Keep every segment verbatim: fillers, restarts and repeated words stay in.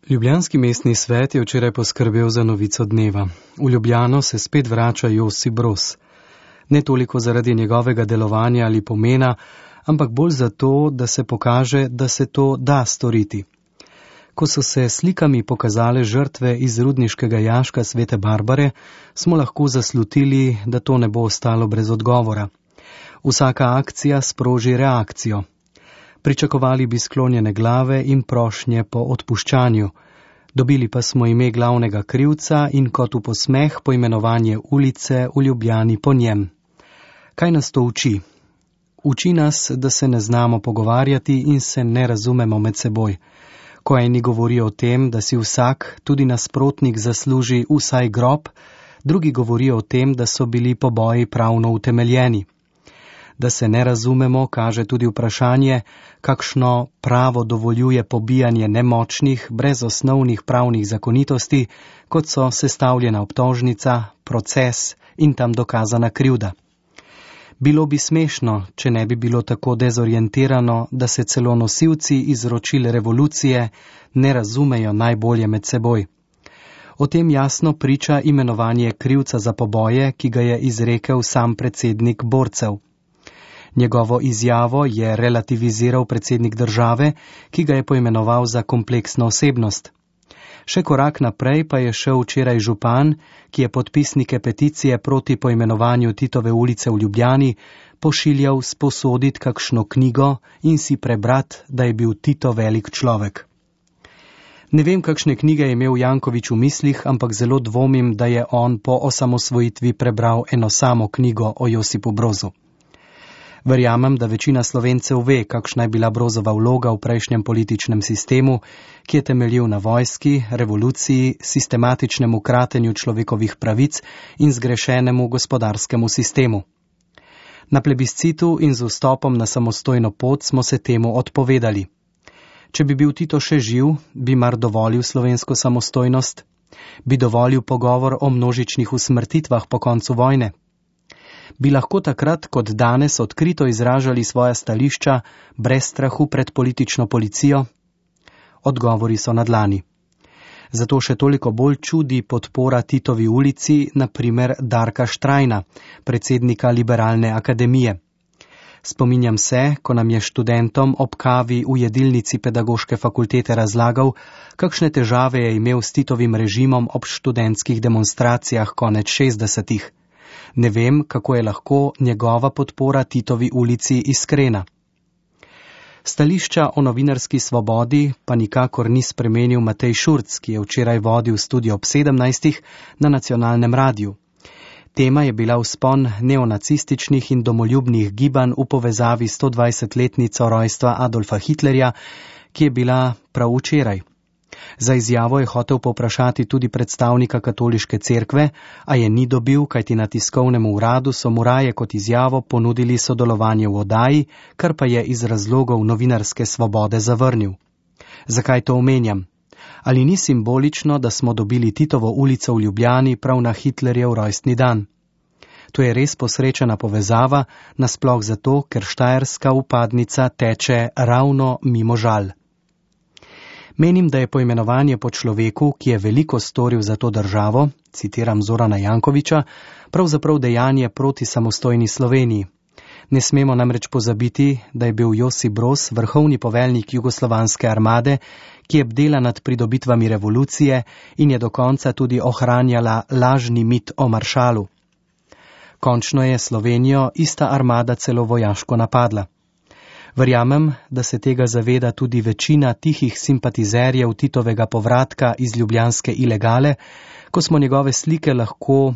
Ljubljanski mestni svet je včeraj poskrbel za novico dneva. V Ljubljano se spet vrača Josip Broz. Ne toliko zaradi njegovega delovanja ali pomena, ampak bolj zato, da se pokaže, da se to da storiti. Ko so se slikami pokazale žrtve iz rudniškega jaška Svete Barbare, smo lahko zaslutili, da to ne bo ostalo brez odgovora. Vsaka akcija sproži reakcijo. Pričakovali bi sklonjene glave in prošnje po odpuščanju. Dobili pa smo ime glavnega krivca in kot v posmeh poimenovanje ulice v Ljubljani po njem. Kaj nas to uči? Uči nas, da se ne znamo pogovarjati in se ne razumemo med seboj. Ko eni govorijo o tem, da si vsak, tudi nasprotnik, zasluži vsaj grob, drugi govorijo o tem, da so bili poboji pravno utemeljeni. Da se ne razumemo, kaže tudi vprašanje, kakšno pravo dovoljuje pobijanje nemočnih, brez osnovnih pravnih zakonitosti, kot so sestavljena obtožnica, proces in tam dokazana krivda. Bilo bi smešno, če ne bi bilo tako dezorientirano, da se celo nosilci izročil revolucije ne razumejo najbolje med seboj. O tem jasno priča imenovanje krivca za poboje, ki ga je izrekel sam predsednik borcev. Njegovo izjavo je relativiziral predsednik države, ki ga je poimenoval za kompleksno osebnost. Še korak naprej pa je šel včeraj župan, ki je podpisnike peticije proti poimenovanju Titove ulice v Ljubljani pošiljal sposoditi kakšno knjigo in si prebrat, da je bil Tito velik človek. Ne vem, kakšne knjige je imel Janković v mislih, ampak zelo dvomim, da je on po osamosvojitvi prebral eno samo knjigo o Josipu Brozu. Verjamem, da večina Slovencev ve, kakšna je bila Brozova vloga v prejšnjem političnem sistemu, ki je temeljil na vojski, revoluciji, sistematičnemu kratenju človekovih pravic in zgrešenemu gospodarskemu sistemu. Na plebiscitu in z vstopom na samostojno pot smo se temu odpovedali. Če bi bil Tito še živ, bi mar dovolil slovensko samostojnost? Bi dovolil pogovor o množičnih usmrtitvah po koncu vojne? Bi lahko takrat kot danes odkrito izražali svoja stališča brez strahu pred politično policijo? Odgovori so na dlani. Zato še toliko bolj čudi podpora Titovi ulici, na primer Darka Štrajna, predsednika Liberalne akademije. Spominjam se, ko nam je študentom ob kavi v jedilnici pedagoške fakultete razlagal, kakšne težave je imel s Titovim režimom ob študentskih demonstracijah konec šestdesetih. Ne vem, kako je lahko njegova podpora Titovi ulici iskrena. Stališča o novinarski svobodi pa nikakor ni spremenil Matej Šurc, ki je včeraj vodil studio ob sedemnajstih na nacionalnem radiju. Tema je bila vzpon neonacističnih in domoljubnih gibanj v povezavi s stodvajsetletnico rojstva Adolfa Hitlerja, ki je bila prav včeraj. Za izjavo je hotel povprašati tudi predstavnika katoliške cerkve, a je ni dobil, kajti na tiskovnem uradu so mu raje kot izjavo ponudili sodelovanje v oddaji, kar pa je iz razlogov novinarske svobode zavrnil. Zakaj to omenjam? Ali ni simbolično, da smo dobili Titovo ulico v Ljubljani prav na Hitlerjev rojstni dan? To je res posrečena povezava, nasploh zato, ker štajerska upadnica teče ravno mimo Žal. Menim, da je poimenovanje po človeku, ki je veliko storil za to državo, citiram Zorana Jankovića, pravzaprav dejanje proti samostojni Sloveniji. Ne smemo namreč pozabiti, da je bil Josip Broz vrhovni poveljnik jugoslovanske armade, ki je bdela nad pridobitvami revolucije in je do konca tudi ohranjala lažni mit o maršalu. Končno je Slovenijo ista armada celo vojaško napadla. Verjamem, da se tega zaveda tudi večina tihih simpatizerjev Titovega povratka iz ljubljanske ilegale, ko smo njegove slike lahko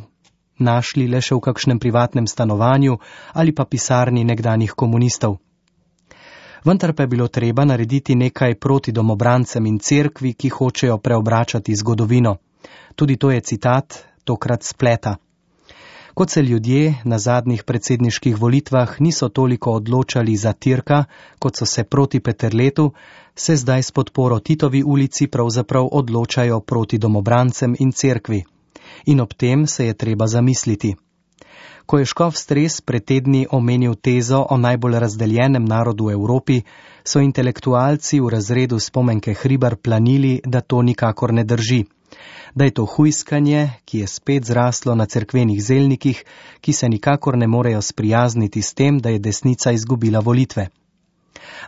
našli le še v kakšnem privatnem stanovanju ali pa pisarni nekdanjih komunistov. Vendar pa je bilo treba narediti nekaj proti domobrancem in cerkvi, ki hočejo preobračati zgodovino. Tudi to je citat, tokrat spleta. Kot se ljudje na zadnjih predsedniških volitvah niso toliko odločali za Tirka, kot so se proti Peterletu, se zdaj s podporo Titovi ulici pravzaprav odločajo proti domobrancem in cerkvi. In ob tem se je treba zamisliti. Ko je škof Stres pred tedni omenil tezo o najbolj razdeljenem narodu v Evropi, so intelektualci v razredu Spomenke Hribar planili, da to nikakor ne drži. Da je to hujskanje, ki je spet zraslo na cerkvenih zelnikih, ki se nikakor ne morejo sprijazniti s tem, da je desnica izgubila volitve.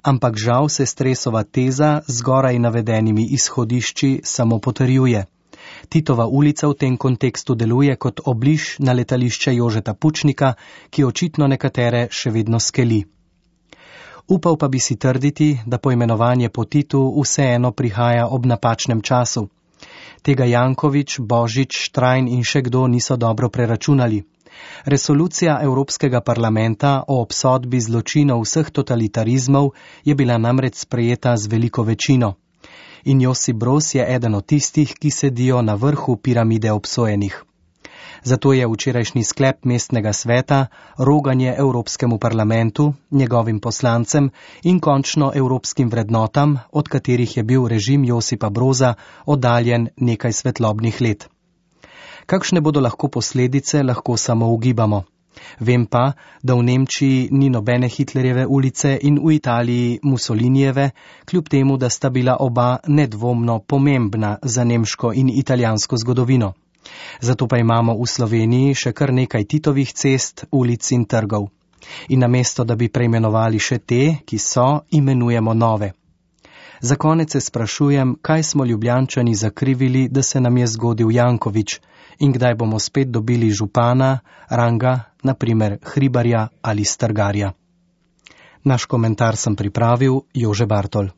Ampak žal se Stresova teza z zgoraj navedenimi izhodišči samo potrjuje. Titova ulica v tem kontekstu deluje kot obliž na letališče Jožeta Pučnika, ki očitno nekatere še vedno skeli. Upal pa bi si trditi, da poimenovanje po Titu vseeno prihaja ob napačnem času. Tega Janković, Božič, Štrajn in še kdo niso dobro preračunali. Resolucija Evropskega parlamenta o obsodbi zločinov vseh totalitarizmov je bila namreč sprejeta z veliko večino. In Josip Broz je eden od tistih, ki sedijo na vrhu piramide obsojenih. Zato je včerajšnji sklep mestnega sveta roganje Evropskemu parlamentu, njegovim poslancem in končno evropskim vrednotam, od katerih je bil režim Josipa Broza oddaljen nekaj svetlobnih let. Kakšne bodo lahko posledice, lahko samo ugibamo. Vem pa, da v Nemčiji ni nobene Hitlerjeve ulice in v Italiji Mussolinijeve, kljub temu, da sta bila oba nedvomno pomembna za nemško in italijansko zgodovino. Zato pa imamo v Sloveniji še kar nekaj Titovih cest, ulic in trgov. In namesto, da bi preimenovali še te, ki so, imenujemo nove. Za konec se sprašujem, kaj smo Ljubljančani zakrivili, da se nam je zgodil Janković in kdaj bomo spet dobili župana, ranga, na primer Hribarja ali Strgarja. Naš komentar sem pripravil Jože Bartol.